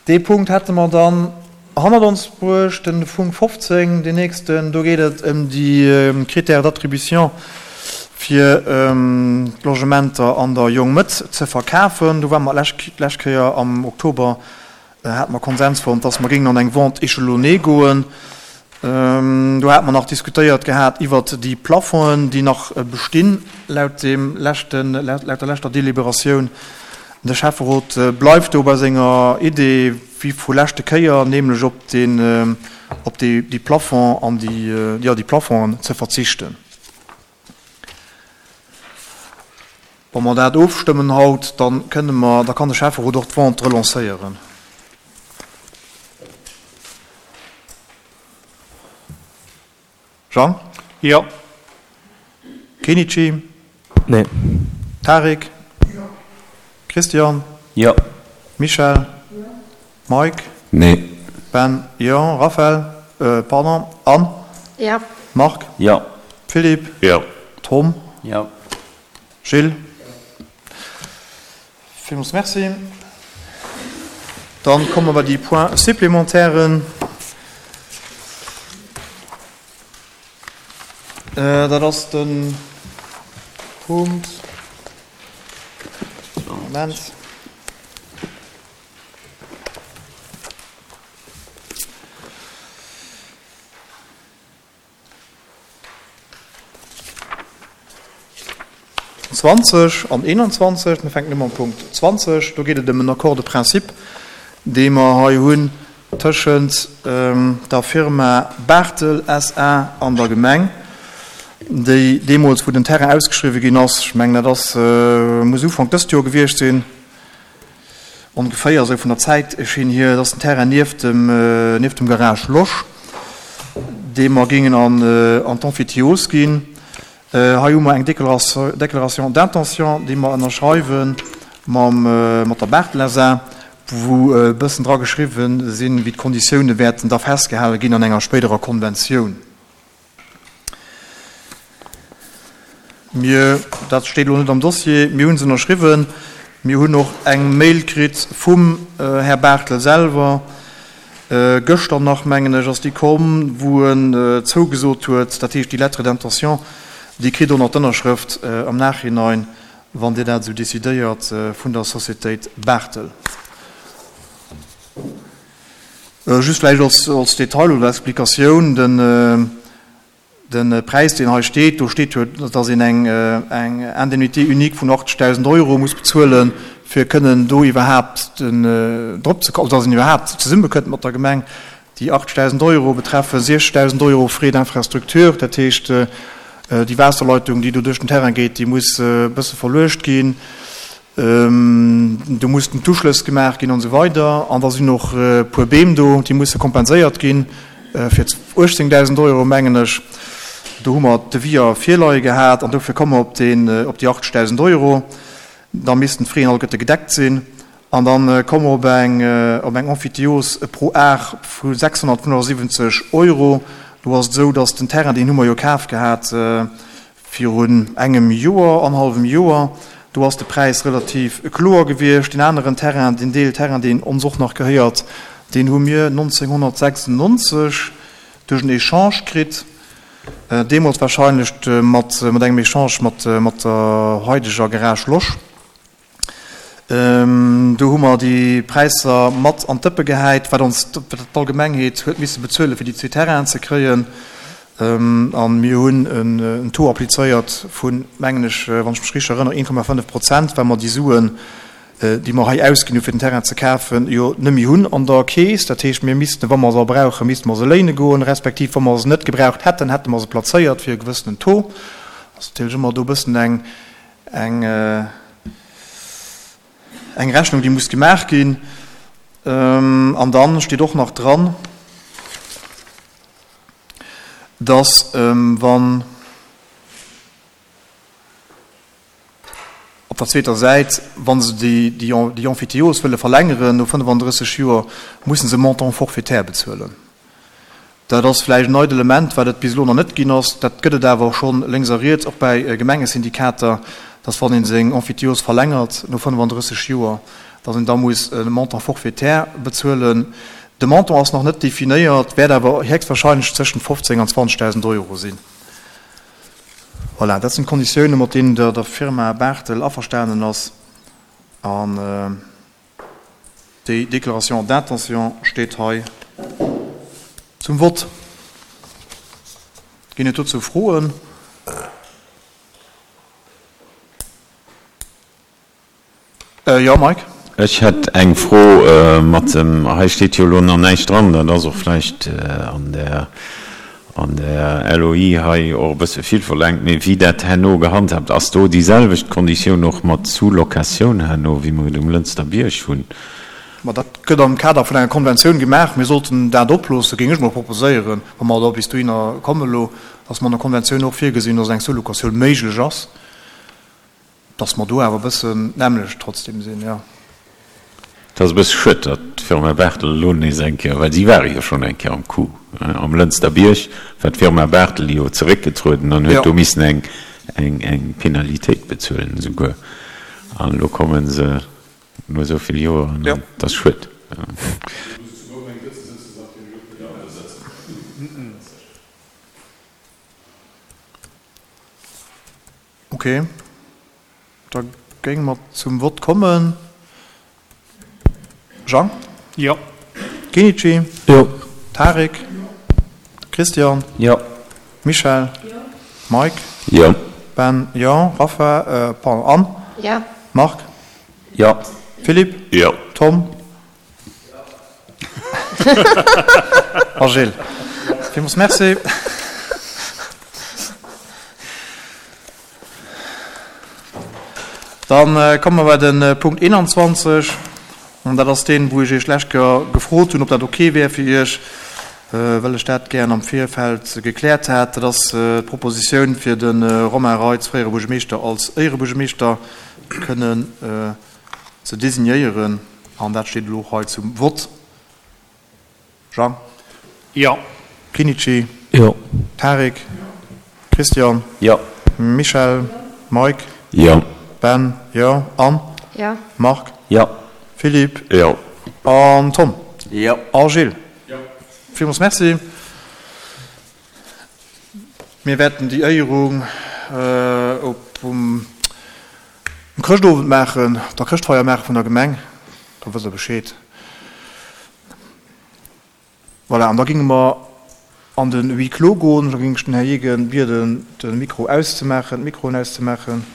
Dee Punkt hätte mer dann hannert ons bruecht. Den Punkt 15, deen nächsten, do geet et ëm déi Critères d'attribution fir d'Logementer an der Jongmëtt ze verkafen. Do ware mer d'lescht Kéier am Oktober hate mer Konsens fonnt, dass mer géingen an eng Vente échelonnée goen. Do hate mer nach diskutéiert gehat iwwert déi Plafongen, déi nach bestinn laut deem leschten, laut der leschter Deliberatioun. De Schäfferot bleift do bei senger Idee wéi vu leschte Kéier, nämlech op deen, op déi, déi Plafond an déi, jo, déi Plafongen ze verzichten. Wa mer dat ofstëmmen haut, da kënne mer, da kann de Schäfferot och d'Vente relancéieren. Jean? Jo. Kenichi? Nee. Tarik? Jo. Christian? Jo. Michèle? Jo. Mike? Nee. Ben? Jo. Raphaël? Pardon, Anne? Jo. Marc? Jo. Philippe? Jo. Tom? Jo. Gilles? Villmools Merci. Dann komme mer bei déi Points supplémentairen. Dat ass de Punkt, Moment. 20 an 21, mir fänken u mam Punkt 20, do geet et ëm en Accord de principe, dee mer hei hunn tëschent der Firma Barthel SA an der Gemeng, déi deemools, wou den Terrain ausgeschriwwen ginn ass, ech mengen, dat ass, muss Ufank dëst Joer gewiescht sinn, Ongeféier esou vun der Zäitschinn hier, et ass den Terrain nieft dem, nieft dem Garage Losch, dee mer géingen an, an d'Emphytiose ginn. Hei hu mer eng Déclaration d'intention, déi mer ënnerschreiwe mam, mat der Barthel SA, wou e bëssen dra geschriwwen sinn, wéi d'Konditioune wäerten da festgehale ginn an enger spéiderer Konventioun. Mir, dat steet elo net am Dossier, mir hu se ënnerschriwwen. Mir hunn och eng Mail kritt vum Här Barthel selwer, gëschter nach, mengen ech, ass déi komm, wou en zougesot huet, dat heescht déi Lettre d'intention, déi kritt och nach d'Ënnerschrëft am Nachhinein, wann Dir dat esou decidéiert, vun der Sociétéit Barthel. Just vläicht als Detail oder Explikatioun, De Präis, deen hei steet, do steet jo, dass een eng Indemnité unique vun 80.000 Euro muss bezuelen, fir kënnen do iwwerhaapt drop ze kommen, dass een iwwerhaapt zesummekënnt mat der Gemeng. Déi 80.000 Euro betreffen 60.000 Euro Frais d'infrastructure, dat heescht, déi Waasserleitung, déi do duerch den Terrain geet, déi muss e bësse verluecht ginn. Do mussten d'Uschlëss gemaach ginn an esou weider. An da sinn och e puer Beem do, déi musse kompenséiert ginn fir 18.000 Euro, mengen ech. Do hu mer d'Deviser virleie gehat an dofir komme mer op deen, op déi 80.000 Euro. Da missten d'Fraisen alleguerte gedeckt sinn. An da komme mer op eng, op eng Emphytéose pro Ar vu 675 Euro. Do ass et esou, datt den Terrain, deen hu mer jo kaf gehat, Virun engem Joer, annerhallwem Joer, do ass de Präis relativ kloer gewiescht. Deen aneren Terrain, deen Deel Terrain, deen ons och nach gehéiert, deen hu mir 1996 duerch en Echange kritt, deemools wahrscheinlech mat engem Echange mat der haideger Garage Losch. Do hu mer déi Präisser mat an d'Dëppe gehäit, wat ons d'Allgemengheet huet misse bezuelen, fir déi zwee Terrainen ze kréien. A mir hunn en Taux applizéiert vun, mengen ech, wann ech mech richteg erënnere, 1,5 Prozent, well mer déi Suen, déi mer hei ausginn hu fir den Terrain ze kafen, jo net méi hunn an der Keess. Dat heescht, mir missten, wa mer se brauchen, misste mer se léine goen, respektiv wa mer se net gebraucht hätten, hätte mer se plazéiert fir e gewëssenen Taux. Ass natierlech ëmmer do e bëssen eng Eng eng Rechnung, déi muss gemaach ginn. An dann steet och nach dran, dass wann op der zweeter Säit, wa se déi déi Emphytéose wëlle verlängeren no 35 Joer, musse se e Montant forfaitaire bezuelen. Dat ass vläicht en neit Element, wat et bis elo nach net ginn ass. Dat gëtt et awer scho lénks a riets, och bäi Gemengesyndikater, dass wann ee seng Emphytiose verlängert no 35 Joer, Dass een da muss e Montant forfaitaire bezuelen. De Montant ass nach net definéiert, wäert awer héchstwahrscheinlech tëschent 15 an 20.000 Euro sinn. Voilà, dat sinn d'Konditiounen, mat deenen der der Firma Barthel averstanen ass. An déi Déclaration d'intention steet hei zum Vott. Ginn et dozou Froen? Jo, Mike? Ech hätt eng Fro mat dem, hei steet jo elo nach näischt dran, dat ass och vläicht an der, an der LOI hei och e bësse vill verlaangt, mee wéi dat herno gehandhabt ass, do déi selwecht Konditioun och mat Sous-locatioun herno, wéi mer et um Lënster Bierg hunn? Ma dat gëtt am Kader vun enger Konventioun gemaach. Mir sollten dat oploossen, géing ech mol proposéieren, wa mer da bis dohinner kommen elo, dass mer an der Konventioun och virgesinn, dass eng Sous-locatioun méiglech ass. Dass mer do awer e bëssen d'nämmlecht trotzdem sinn, jo. Et ass e bësse schued, datt d'Firma Barthel elo nees eng Kéier, well si ware jo schonn eng Kéier am Coup am Lënster Bierg, war d'Firma Barthel jo zeréckgetrueden an huet do missen eng, eng, eng Penalitéit bezuelen esouguer. An elo komme se no esou vill Joeren an et ass schued. Ok, da géinge mer zum Vott kommen. Jean? Jo. Kenichi? Jo. Tarik? Jo. Christian? Jo. Michèle? Jo. Mike? Jo. Ben? Jo. Rapha? Pardon, Anne? Jo. Marc? Jo. Philippe? Jo. Tom? A Gilles. Villmools Merci. Dann komme mer bei de Punkt 21, an dat ass deen, wou ech Iech d'lescht Kéier gefrot hunn, ob dat ok wär fir Iech, well ech dat gären am Virfeld gekläert hat. Dat ass d'Propositioun, fir de Romain Reitz, fréiere Buergermeeschter, als Éierebuergermeeschter kënnen ze designéieren. An dat steet elo och hei zum Vott. Jean? Jo. Kinichi? Jo. Tarik? Christian? Jo. Michèle? Mike? Jo. Ben? Jo. Anne? Jo. Marc? Jo. Philippe? Jo. An Tom? Jo. A Gilles? Jo. Villmools Merci. Mir wäerten déi Éierung op um Chrëschtowend maachen, op der Chrëschtfeier maache vun der Gemeng. Da wësst Der Bescheed. Voilà, an da géinge mer an de Huis clos goen. Da géing ech den Här Jegen bieden, de Mikro auszemaachen, d'Mikroen auszemaachen.